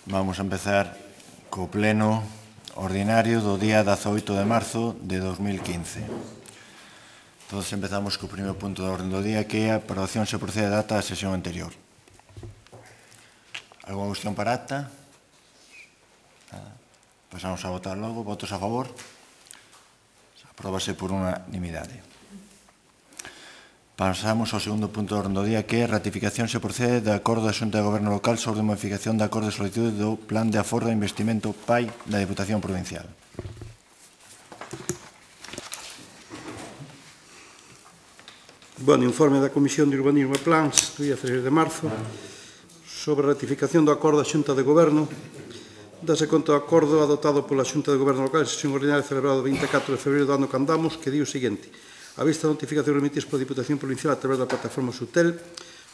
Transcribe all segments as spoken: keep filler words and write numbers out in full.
Vamos a empezar co pleno ordinario do día dezaoito de marzo de dos mil quince. Todos empezamos co primeiro punto da orden do día, que é a aprobación se procede a data da sesión anterior. Alguna cuestión para acta? Nada. Pasamos a votar logo. Votos a favor? Apróbase por unanimidade. Pasamos ao segundo punto da orden do día, que é a ratificación se procede do acordo da Xunta de Goberno Local sobre a modificación do acordo de solicitude do Plan de Aforro e Investimento P A I da Diputación Provincial. Bueno, informe da Comisión de Urbanismo e Plans do día dezasseis de marzo sobre a ratificación do acordo da Xunta de Goberno. Dase conta do acordo adoptado pola Xunta de Goberno Local en sesión ordinaria celebrado o vinte e catro de febreiro do ano que andamos, que di o seguinte: a vista da notificación remitidas pola Diputación Provincial a través da plataforma Sutel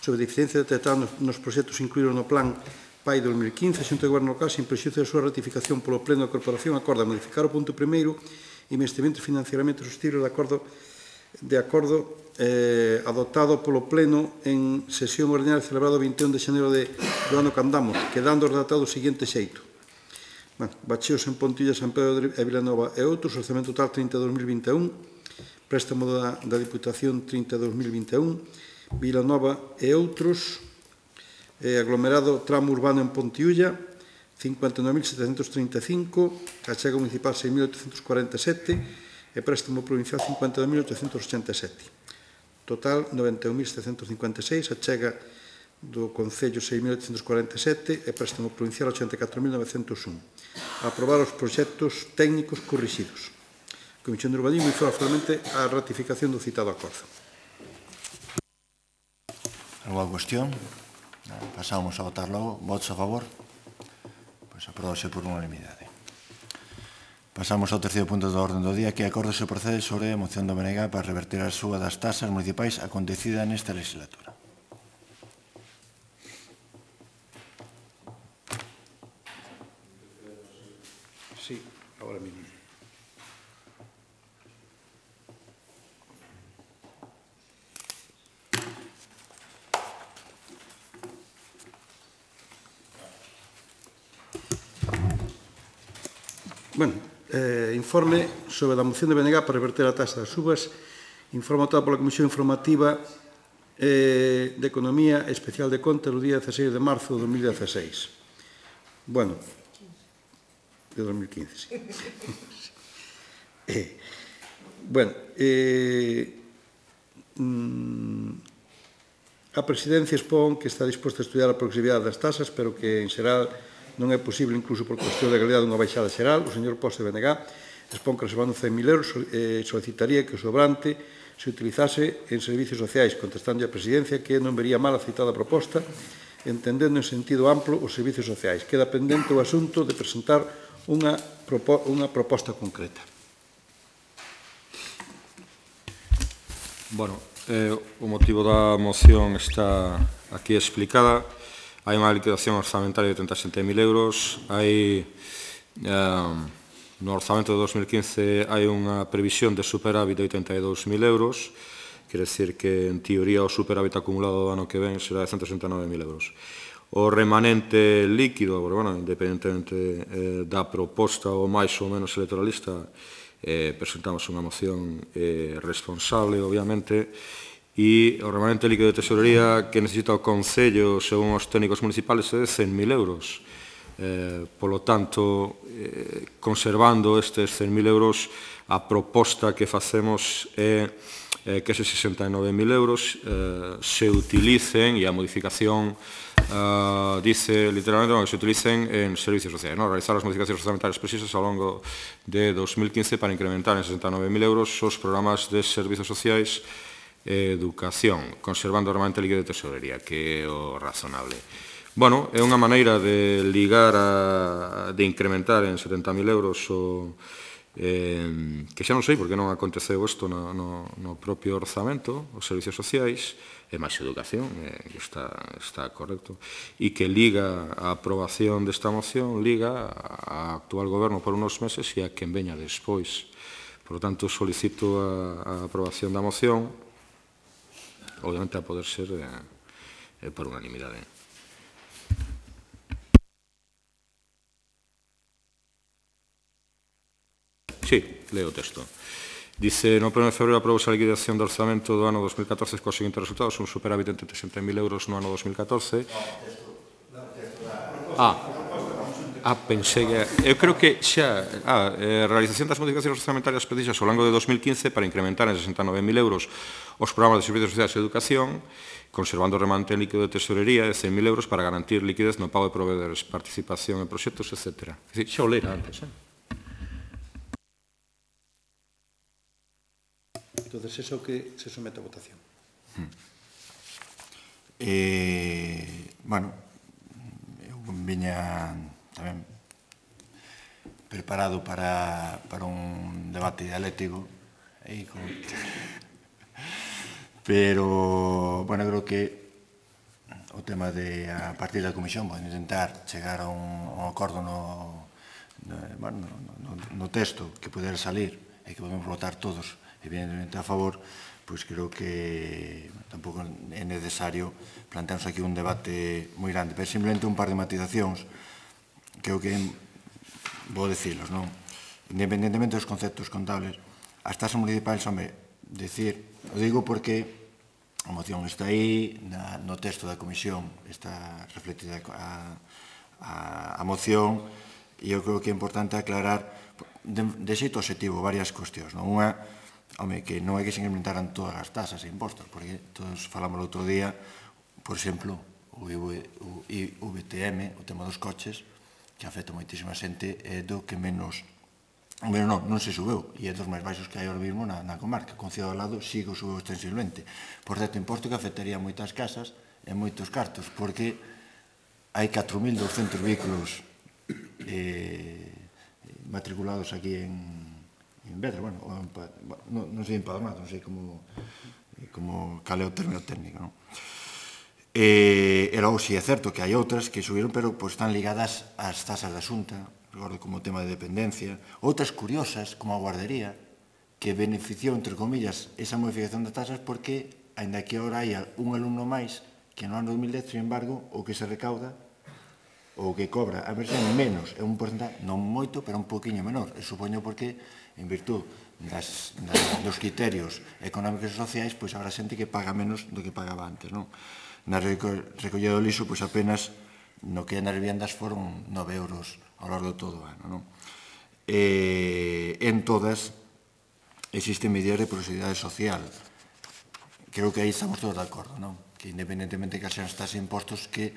sobre deficiencias detectadas nos proxectos incluídos no Plan P A I dos mil quince, a Xunta de Goberno Local, sin prexuízo da súa ratificación polo Pleno da Corporación, acorda modificar o punto primeiro, investimentos e financiamento sostible de acordo, de acordo eh, adoptado polo Pleno en sesión ordinaria celebrado o vinte e un de xaneiro de, do ano que andamos, quedando redactado o seguinte xeito. Bueno, bacheos en Pontilla, San Pedro e Vilanova e outros, orzamento total trinta dos mil vinte e un, préstamo da, da Diputación trinta dos mil vinte e un, Vilanova e outros, eh, aglomerado tramo urbano en Pontiulla, cincuenta e nove mil setecentos trinta e cinco, achega municipal seis mil oitocentos cuarenta e sete e préstamo provincial cincuenta e dos mil oitocentos ochenta e sete. Total noventa e un mil setecentos cincuenta e seis, achega do Concello seis mil oitocentos cuarenta e sete e préstamo provincial ochenta e catro mil novecentos un. Aprobar os proxectos técnicos corrixidos. A Comisión de Urbanismo informa formalmente a ratificación do citado acordo. Alguna cuestión? Pasamos a votar logo. Votos a favor? Pois apróbase por unanimidade. Pasamos ao terceiro punto da orden do día, que é acordo se procede sobre a moción do B N G para reverter a suba das tasas municipais acontecida nesta legislatura. Sí, agora mismo. Bueno, eh, informe sobre a moción de B N G para reverter a taxa das subas. Informe votado pola Comisión Informativa eh, de Economía Especial de Contas do día dezasseis de marzo de dos mil dezasseis. Bueno, de dos mil quince, sí. eh, bueno, eh, mm, a Presidencia expón que está disposta a estudiar a progresividade das tasas, pero que, en xeral, non é posible, incluso por cuestión de legalidade, unha baixada xeral. O señor Poste B N G expón que, reservando cen mil euros, eh, solicitaría que o sobrante se utilizase en servicios sociais, contestando a Presidencia que non vería mal a citada proposta, entendendo en sentido amplo os servicios sociais. Queda pendente o asunto de presentar unha, propo unha proposta concreta. Bueno, eh, o motivo da moción está aquí explicada. Hai unha liquidación orzamentaria de trinta e sete mil euros. Hai, eh, no orzamento de dos mil quince hai unha previsión de superávit de oitenta e dous mil euros. Quere decir que, en teoría, o superávit acumulado do ano que ven será de ciento sesenta e nove mil euros. O remanente líquido, bueno, independentemente eh, da proposta ou máis ou menos electoralista, eh, presentamos unha moción eh, responsable, obviamente, e o remanente líquido de tesorería que necesita o Concello, según os técnicos municipales, é de cen mil euros. Eh, polo tanto, eh, conservando estes cen mil euros, a proposta que facemos é eh, que eses sesenta e nove mil euros eh, se utilicen, e a modificación Uh, dice literalmente no, que se utilicen en servicios sociais, ¿no? Realizar as modificacións orzamentarias precisas ao longo de dos mil quince para incrementar en sesenta e nove mil euros os programas de servicios sociais e educación, conservando o remanente líquido de tesorería, que é o razonable. Bueno, é unha maneira de ligar, a, de incrementar en setenta mil euros o, eh, que xa non sei porque non aconteceu isto no, no, no propio orzamento, os servicios sociais, e máis educación, eh, está, está correcto, e que liga a aprobación desta moción, liga a actual goberno por unos meses e a quen veña despois. Por lo tanto, solicito a, a aprobación da moción, obviamente a poder ser eh, eh, por unanimidade. Sí, leo o texto. Dice, no primeiro de febrero aprobouse a liquidación do orzamento do ano dos mil catorce cos seguintes resultados, un superávit de trinta e sete mil euros no ano dos mil catorce. Ah, ah, pensei que... Eu creo que xa... Ah, eh, realización das modificacións orzamentarias precisas ao longo de dos mil quince para incrementar en sesenta e nove mil euros os programas de servicios sociais e educación, conservando o remanente en líquido de tesorería de cen mil euros para garantir liquidez no pago de proveedores, participación en proxectos, etcétera. É dicir, xa o lera antes, eh? Entonces, eso que se somete a votación. Eh, bueno, eu viña tamén preparado para, para un debate dialéctico aí con... pero, bueno, creo que o tema de, a partir da comisión, poden intentar chegar a un, a un acordo no, no, bueno, no, no texto que poder salir e que podemos votar todos evidentemente a favor, pois creo que tampouco é necesario plantearnos aquí un debate moi grande, pero simplemente un par de matizacións que eu que vou dicilos, non? Independentemente dos conceptos contables, as tasas municipais, home, decir, o digo porque a moción está aí, na, no texto da comisión está reflectida a, a, a moción, e eu creo que é importante aclarar de, de xeito objetivo varias cuestións, non? Unha, home, que non é que se incrementaran todas as tasas e impostos, porque todos falamos o outro día, por exemplo, o I V T M, o tema dos coches, que afecta moitísima xente, é do que menos, menos non, non se subeu, e é dos máis baixos que hai ahora mesmo na, na comarca. Con Ciudad ao lado sigo subeu extensivamente. Por certo, imposto que afectaría moitas casas e moitos cartos, porque hai catro mil douscentos vehículos eh, matriculados aquí en en Vedra, bueno, non, non sei empadronado, non sei como, como cal é o término técnico, non? E, e logo, si é certo que hai outras que subiron, pero pues, están ligadas ás tasas da Xunta, recordo como o tema de dependencia, outras curiosas, como a guardería, que beneficiou, entre comillas, esa modificación das tasas porque, ainda que agora hai un alumno máis que no ano dos mil dez, sin embargo, o que se recauda o que cobra a versión menos, é un porcentaje, non moito, pero un poquinho menor. E supoño porque, en virtud das, das, dos criterios económicos e sociais, pois habrá xente que paga menos do que pagaba antes, non? Na recollida do lixo, pois apenas no que é nas vivendas foron nove euros ao largo de todo o ano, non? E, en todas existen medidas de proximidade social. Creo que aí estamos todos de acordo, non? Que independentemente que sean estas impostos que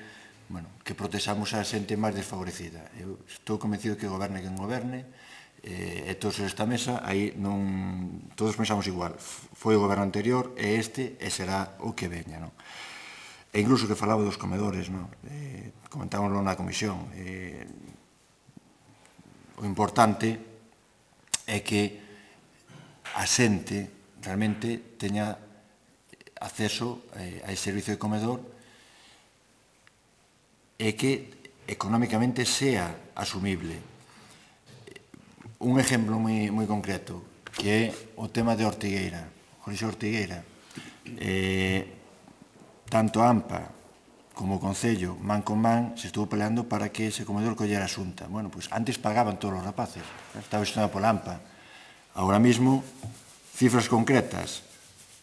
bueno, que protexamos a xente máis desfavorecida. Eu estou convencido que goberne quen goberne, e todos esta mesa, aí non... Todos pensamos igual. Foi o goberno anterior, e este, e será o que veña, non? E incluso que falaba dos comedores, non? Eh, comentámoslo na comisión. Eh, o importante é que a xente realmente teña acceso eh, a ese servicio de comedor e que económicamente sea asumible. Un exemplo moi, moi concreto, que é o tema de Ortigueira, Jorge Ortigueira. Eh, tanto a AMPA como o Concello, man con man, se estuvo peleando para que ese comedor collera a Xunta. Bueno, pois antes pagaban todos os rapaces, estaba gestionado pola AMPA. Ahora mismo, cifras concretas,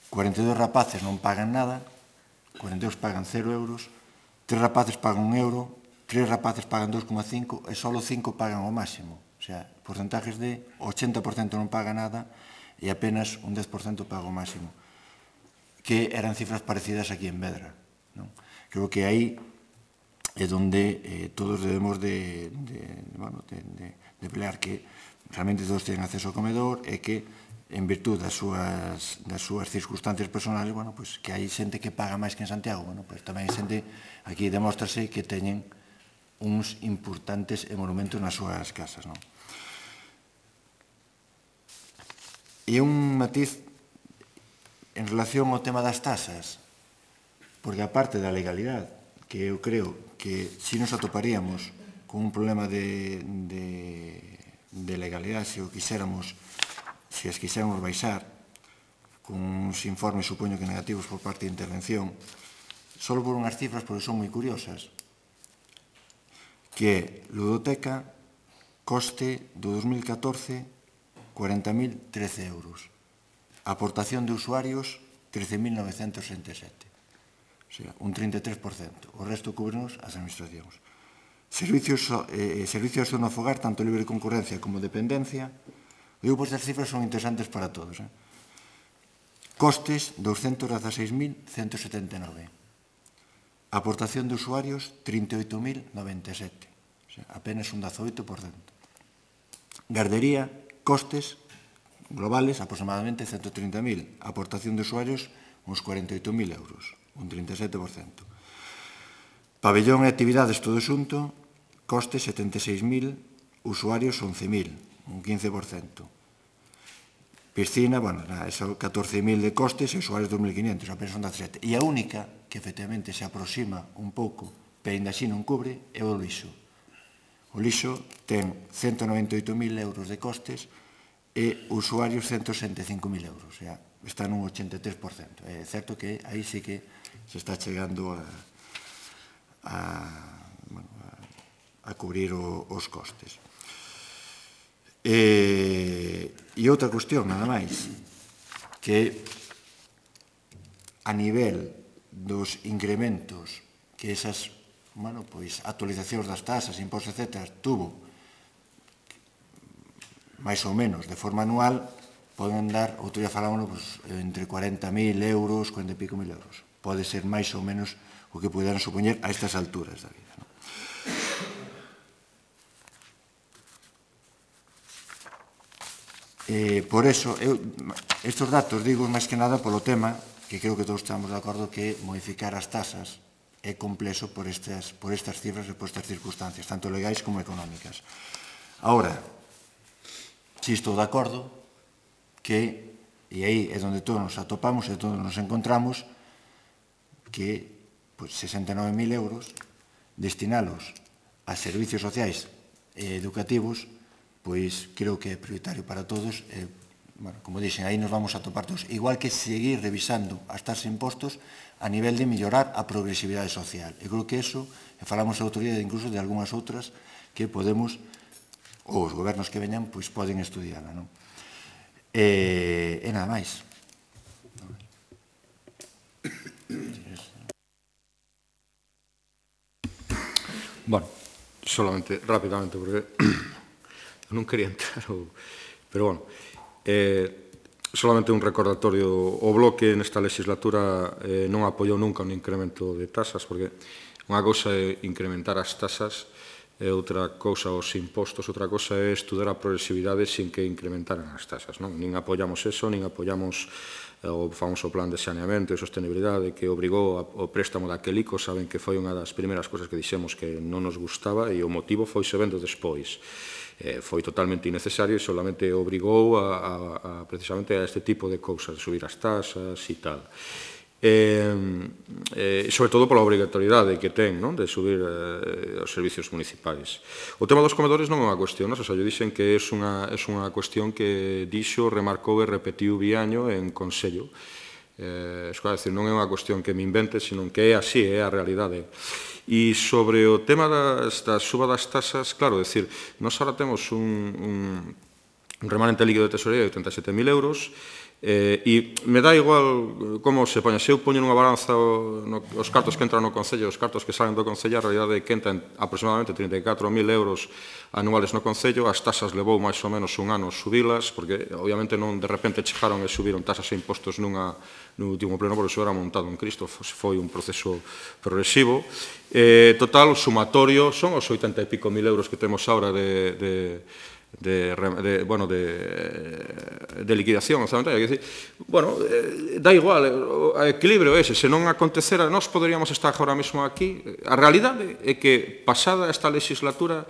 cuarenta e dous rapaces non pagan nada, cuarenta e dous pagan cero euros, tres rapaces pagan un euro, tres rapaces pagan dos coma cinco e só cinco pagan o máximo. O sea, porcentajes de ochenta por cento non paga nada e apenas un dez por cento paga o máximo. Que eran cifras parecidas aquí en Vedra. Non? Creo que aí é onde eh, todos debemos de, de, bueno, de, de, de pelear que realmente todos teñen acceso ao comedor e que en virtud das súas, das súas circunstancias personales, bueno, pues, que hai xente que paga máis que en Santiago, bueno, pues, tamén hai xente, aquí demóstrase que teñen uns importantes monumentos nas súas casas, non? E un matiz en relación ao tema das tasas, porque aparte da legalidade, que eu creo que si nos atoparíamos con un problema de, de, de legalidade, se o quixéramos se as quixéramos baixar, con uns informes, supoño que negativos por parte de intervención, só por unhas cifras, porque son moi curiosas, que é ludoteca, coste do dos mil catorce, cuarenta mil trece euros. Aportación de usuarios, trece mil novecentos sesenta e sete. O sea, un trinta e tres por cento. O resto cúbrenos as administracións. Servicios, eh, servicios de zona fogar, tanto libre concurrencia como dependencia. Digo, pois as cifras son interesantes para todos. Eh? Costes, doscientos dieciséis mil ciento setenta e nove. Aportación de usuarios, trinta e oito mil noventa e sete. O sea, apenas un dezoito por cento. Gardería, costes globales, aproximadamente ciento trinta mil. Aportación de usuarios, uns cuarenta e oito mil euros, un trinta e sete por cento. Pabellón e actividades todo xunto, costes setenta e seis mil, usuarios once mil, un quince por cento. Piscina, bueno, eso catorce mil de costes e usuarios dos mil quinientos, apenas un dezasete. E a única que efectivamente se aproxima un pouco, pero ainda así non cubre, é o lixo. O lixo ten ciento noventa e oito mil euros de costes e usuarios ciento sesenta e cinco mil euros. O sea, está nun ochenta e tres por cento. É certo que aí sí que se está chegando a, a, bueno, a, a cubrir o, os costes. E, e outra cuestión, nada máis, que a nivel dos incrementos que esas bueno, pois, actualizacións das tasas, impostos, etcétera, tuvo máis ou menos de forma anual, poden dar, outro día falámonos, pues, entre cuarenta mil euros, cuarenta e pico mil euros. Pode ser máis ou menos o que puderan supoñer a estas alturas da vida. ¿No? Eh, por eso, eu, estes datos digo máis que nada polo tema, que creo que todos estamos de acordo que modificar as tasas é complexo por estas, por estas cifras e por estas circunstancias, tanto legais como económicas. Ahora, si estou de acordo que, e aí é onde todos nos atopamos e todos nos encontramos, que pues, sesenta e nove mil euros destinalos a servicios sociais e educativos, pois creo que é prioritario para todos. Eh, bueno, como dixen, aí nos vamos a topar todos. Igual que seguir revisando as tasas de impostos a nivel de mellorar a progresividade social. Eu creo que eso, e falamos a autoridade incluso de algunhas outras que podemos, ou os gobernos que veñan, pois poden estudiarla. Non? E, e nada máis. Bueno, solamente, rápidamente, porque non quería entrar, pero bueno, eh, solamente un recordatorio, o Bloque nesta legislatura eh, non apoiou nunca un incremento de tasas, porque unha cousa é incrementar as tasas, e outra cousa os impostos, outra cousa é estudar a progresividade sin que incrementaran as tasas. Non? Nin apoiamos eso, nin apoiamos o famoso plan de saneamento e sostenibilidade que obrigou o préstamo daquel ICO. Saben que foi unha das primeiras cousas que dixemos que non nos gustaba e o motivo foi se vendo despois. Eh, foi totalmente innecesario e solamente obrigou a, a, a, precisamente a este tipo de cousas, de subir as tasas e tal. Eh, eh, sobre todo pola obrigatoriedade que ten, non? De subir eh, os servicios municipais. O tema dos comedores non é unha cuestión, non? O sea, yo dixen que é unha, é unha cuestión que dixo, remarcou e repetiu biaño en Consello. Eh, es decir, non é unha cuestión que me invente, sino que é así, é a realidade. E sobre o tema das, da suba das tasas, claro, decir, nós ahora temos un, un, un remanente líquido de tesorería de oitenta e sete mil euros, Eh, e me dá igual como se poña. Se eu poño nunha balanza o, no, os cartos que entran no Concello e os cartos que salen do Concello, a realidade é que entran aproximadamente trinta e catro mil euros anuales no Concello. As tasas levou máis ou menos un ano subilas, porque obviamente non de repente chegaron e subiron tasas e impostos nunha, no último pleno, porque iso era montado en Cristo, foi un proceso progresivo. Eh, total, o sumatorio son os oitenta e pico mil euros que temos agora de... de De, de, bueno, de, de liquidación orzamentaria. É dicir, bueno, eh, dá igual, o equilibrio ese, se non acontecera, nós poderíamos estar agora mesmo aquí. A realidade é que, pasada esta legislatura,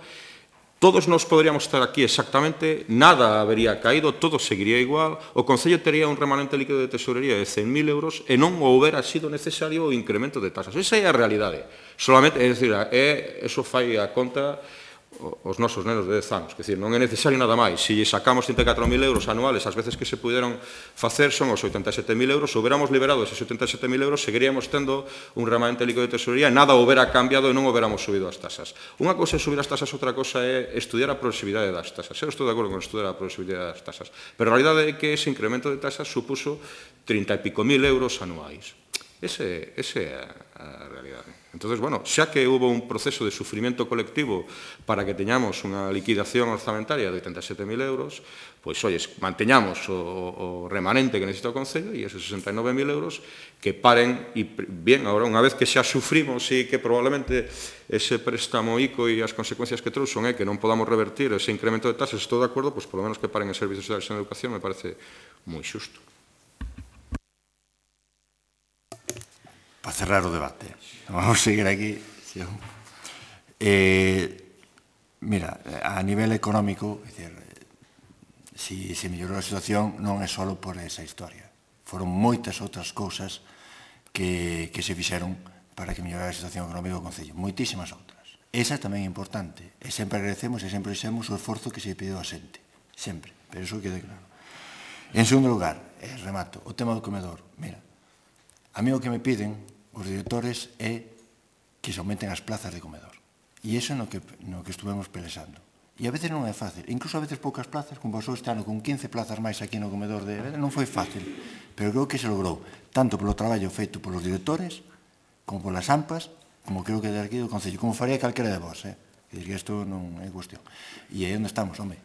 todos nos poderíamos estar aquí exactamente, nada habería caído, todo seguiría igual, o Concello tería un remanente líquido de tesorería de cen mil euros e non houbera sido necesario o incremento de tasas. Esa é a realidade. Solamente, é dicir, é, eso fai a conta os nosos nenos de dez anos. Quer dizer, non é necesario nada máis. Se sacamos trinta e catro mil euros anuales, as veces que se puderon facer son os oitenta e sete mil euros, se huberamos liberado eses oitenta e sete mil euros, seguiríamos tendo un remanente líquido de tesorería e nada houbera cambiado e non houberamos subido as tasas. Unha cosa é subir as tasas, outra cosa é estudiar a progresividade das tasas. Eu estou de acordo con estudiar a progresividade das tasas, pero a realidade é que ese incremento de tasas supuso trinta e pico mil euros anuais. Ese, ese é a realidade. Entón, bueno, xa que hubo un proceso de sufrimiento colectivo para que teñamos unha liquidación orzamentaria de oitenta e sete mil euros, pois, olles, manteñamos o, o remanente que necesita o Concello e eses sesenta e nove mil euros que paren, e bien, agora, unha vez que xa sufrimos e que probablemente ese préstamo ICO e as consecuencias que trouxon é que non podamos revertir ese incremento de tasas, estou de acordo, pois, polo menos que paren en servicios sociales e en educación me parece moi xusto. Para cerrar o debate, vamos a seguir aquí. Eh, mira, a nivel económico, es decir, si se mellorou a situación non é só por esa historia. Foron moitas outras cousas que, que se fixeron para que mellorara a situación económica do Concello. Moitísimas outras. Esa tamén é importante. E sempre agradecemos e sempre dixemos o esforzo que se pediu a xente. Sempre. Pero iso quede claro. En segundo lugar, eh, remato, o tema do comedor. Mira, a mí o que me piden os directores é que se aumenten as plazas de comedor. E iso é no que, no que estuvemos pelexando. E a veces non é fácil. Incluso a veces poucas plazas, como pasou este ano con quince plazas máis aquí no comedor de... Non foi fácil, pero creo que se logrou, tanto polo traballo feito polos directores, como polas AMPAs, como creo que de aquí do Concello, como faría calquera de vos, eh? Que diría, isto non é cuestión. E aí onde estamos, home,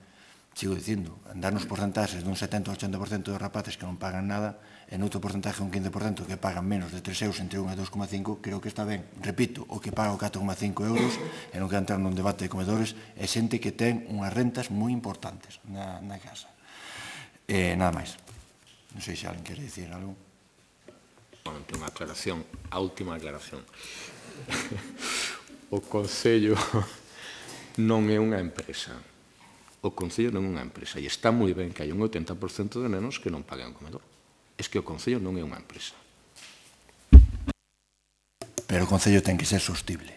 sigo dicindo, andar nos porcentaxes dun setenta ao ochenta por cento de rapaces que non pagan nada, en outro porcentaje un quince por cento que pagan menos de tres euros entre un e dos coma cinco, creo que está ben. Repito, o que paga o catro coma cinco euros, e non que entrar nun debate de comedores, é xente que ten unhas rentas moi importantes na, na casa. Eh, nada máis. Non sei se alguén quere dicir algo. Bueno, unha aclaración, a última aclaración. O Concello non é unha empresa. O Concello non é unha empresa. E está moi ben que hai un oitenta por cento de nenos que non paguen o comedor. Es que o Concello non é unha empresa. Pero o Concello ten que ser sostible.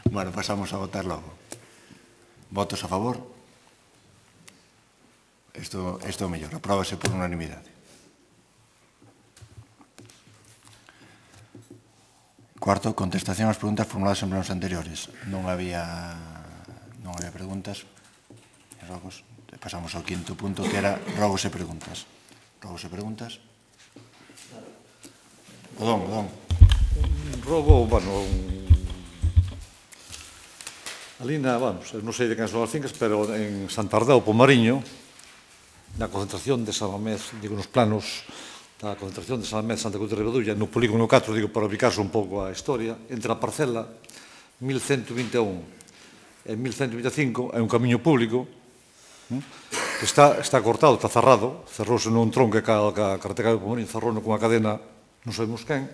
Bueno, pasamos a votar logo. Votos a favor? Isto, isto é o mellor. Apróbase por unanimidade. Cuarto, contestación ás preguntas formuladas en plenos anteriores. Non había, non había preguntas. E rogos. Pasamos ao quinto punto, que era rogos e preguntas. Rogos e preguntas. Perdón, perdón. Rogo, bueno, ali na, vamos, non sei de quen son as fincas, pero en Santardá, o Pomariño, na concentración de San Mamés, digo, nos planos da concentración de San Mamés, Santa Cruz de Ribadulla, no polígono catro, digo, para ubicarse un pouco a historia, entre a parcela mil ciento vinte e un e mil ciento vinte e cinco é un camiño público que está, está cortado, está cerrado, cerrouse nun tronco que a carretera do Pomariño cerrou cunha cadena, non sabemos quen,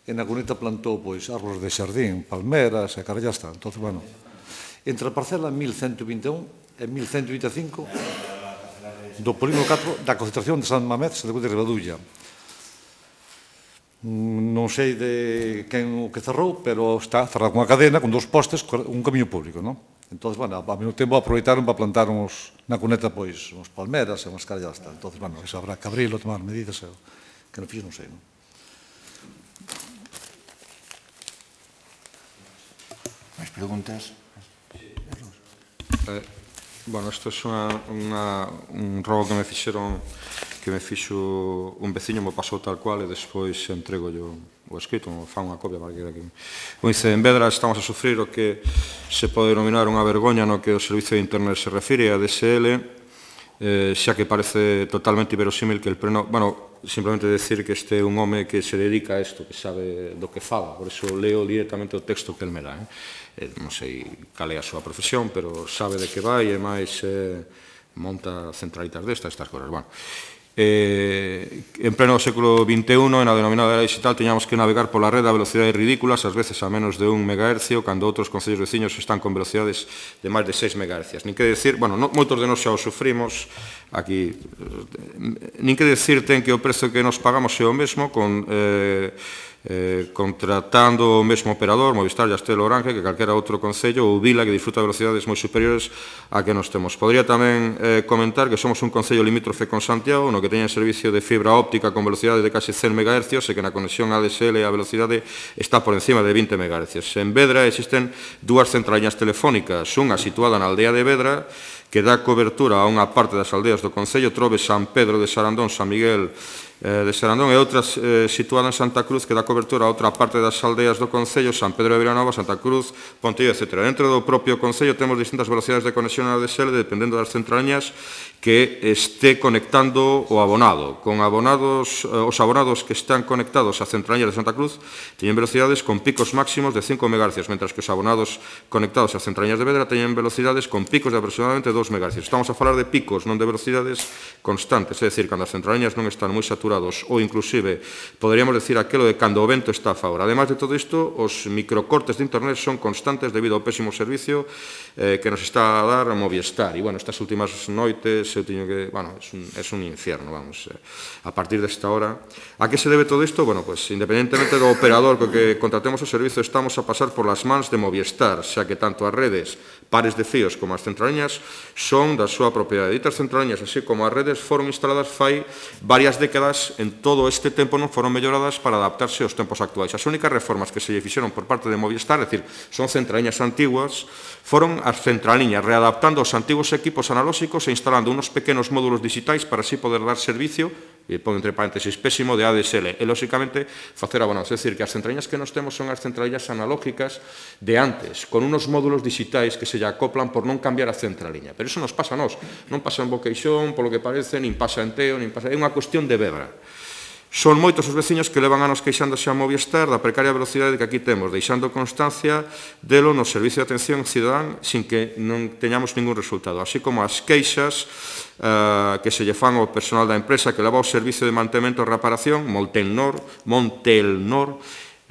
e na cuneta plantou, pois, árbores de xardín, palmeras, e cara, ya está. Entón, bueno, entre a parcela mil ciento vinte e un e mil ciento vinte e cinco do polígono catro da concentración de San Mamés, Santa Cruz de Ribadulla. Non sei de quen o que cerrou, pero está cerrado cunha cadena, con dous postes, un camiño público, non? Entón, bueno, ao mesmo tempo aproveitaron para plantar uns, na cuneta, pois, uns palmeras e unhas carallas, está. Entón, bueno, iso habrá que abrilo, tomar medidas, e, que non fixo, non sei, non? Mais preguntas? Eh, bueno, isto é unha, unha, un rogo que me fixeron, que me fixo un veciño, me pasou tal cual, e despois entrego yo o escrito, fa unha copia para que... Como dice, en Vedra estamos a sufrir o que se pode denominar unha vergoña no que o servicio de internet se refire a D S L, eh, xa que parece totalmente inverosímil que el pleno... Bueno, simplemente decir que este é un home que se dedica a isto, que sabe do que fala, por eso leo directamente o texto que el me dá. Eh? Eh, non sei cal é a súa profesión, pero sabe de que vai e máis eh, monta centralitas destas, estas cosas. Bueno, Eh, en pleno século vinte e un, na denominada era digital, teñamos que navegar pola rede a velocidades ridículas, ás veces a menos de un megahercio, cando outros concellos veciños están con velocidades de máis de seis megahercios. Nin que decir, bueno, no, moitos de nós xa o sufrimos, aquí, nin que decir ten que o prezo que nos pagamos é o mesmo, con... Eh, eh, contratando o mesmo operador, Movistar, Yastel, Orange, que calquera outro concello, ou Vila, que disfruta de velocidades moi superiores a que nos temos. Podría tamén eh, comentar que somos un concello limítrofe con Santiago, no que teña servicio de fibra óptica con velocidade de case cen megahercios e que na conexión A D S L a velocidade está por encima de vinte megahercios. En Vedra existen dúas centraliñas telefónicas, unha situada na aldea de Vedra, que dá cobertura a unha parte das aldeas do concello, Trobe, San Pedro de Sarandón, San Miguel de Sarandón, e outra situada en Santa Cruz, que dá cobertura a outra parte das aldeas do concello, San Pedro de Vilanova, Santa Cruz, Pontevedra, etcétera. Dentro do propio concello temos distintas velocidades de conexión a A D S L, dependendo das centraliñas que este conectando o abonado. Con abonados, os abonados que están conectados a centraliñas de Santa Cruz teñen velocidades con picos máximos de cinco megahercios, mentras que os abonados conectados a centraliñas de Vedra teñen velocidades con picos de aproximadamente dos megahercios. Estamos a falar de picos, non de velocidades constantes, é dicir, cando as centraliñas non están moi saturados, ou inclusive, poderíamos decir aquelo de cando o vento está a favor. Ademais de todo isto, os microcortes de internet son constantes debido ao pésimo servicio eh, que nos está a dar a Movistar. E, bueno, estas últimas noites eu teño que, bueno, es un, es un infierno, vamos, eh, a partir desta hora. A que se debe todo isto? Bueno, pues, independentemente do operador co que contratemos o servicio, estamos a pasar por las mans de Movistar, xa que tanto as redes, pares de fíos como as centraliñas son da súa propiedade. Ditas centraliñas, así como as redes, foron instaladas fai varias décadas, en todo este tempo non foron melloradas para adaptarse aos tempos actuais. As únicas reformas que se lle fixeron por parte de Movistar, é dicir, son centraliñas antiguas, foron as centraliñas readaptando os antigos equipos analóxicos e instalando unos pequenos módulos digitais para así poder dar servicio, e pon entre paréntesis pésimo, de A D S L, e, lóxicamente, facer abonados. É dicir, que as centraliñas que nos temos son as centraliñas analógicas de antes, con unos módulos digitais que se lle acoplan por non cambiar a centraliña. Pero iso nos pasa a nós. Non pasa en Boqueixón, polo que parece, nin pasa en Teo, nin pasa... É unha cuestión de Vedra. Son moitos os veciños que levan anos queixándose a Movistar da precaria velocidade que aquí temos, deixando constancia delo no servicio de atención cidadán sin que non teñamos ningún resultado, así como as queixas eh, que se lle fan ao personal da empresa que leva o servicio de mantemento e reparación, Montelnor, Montelnor,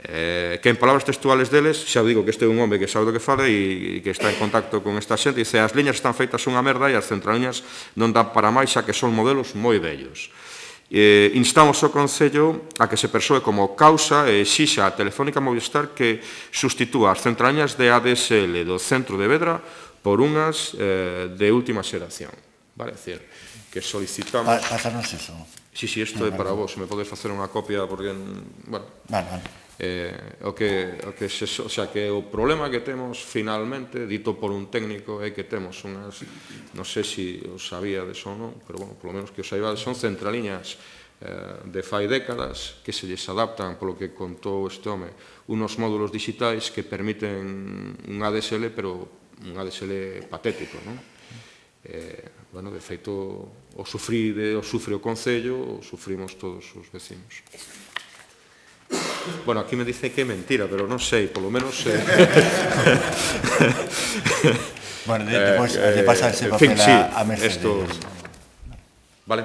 eh, que en palabras textuales deles, xa digo que este é un home que sabe do que fala e, e que está en contacto con esta xente, dice, as liñas están feitas unha merda e as centraliñas non dan para máis, xa que son modelos moi vellos. Eh, instamos ao Concello a que se persoe como causa e exixa a Telefónica Movistar que sustitúa as centraliñas de A D S L do centro de Vedra por unhas eh, de última xeración. Vale, é dicir, que solicitamos... Pa, Pásanos eso. Sí, sí, isto é para vos, se me podes facer unha copia, porque, bueno... Vale, vale. Eh, o que, o que se, o sea, que o problema que temos finalmente, dito por un técnico, é que temos unhas, non sei se os sabíades ou non, pero bueno, polo menos que os saibades, son centraliñas eh, de fai décadas que se lles adaptan, polo que contou este home, unos módulos digitais que permiten un A D S L, pero un A D S L patético, non? Eh, bueno, de feito, o sufrí de, o sufre o Concello, o sufrimos todos os vecinos. Bueno, aquí me dice que é mentira, pero non sei, polo menos... Eh... bueno, de, despois eh, de pasar ese papel fin, sí, a, a Mercedes. Esto... Vale.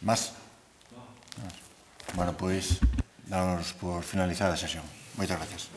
Más? Bueno, pois, damos por finalizada a sesión. Moitas gracias.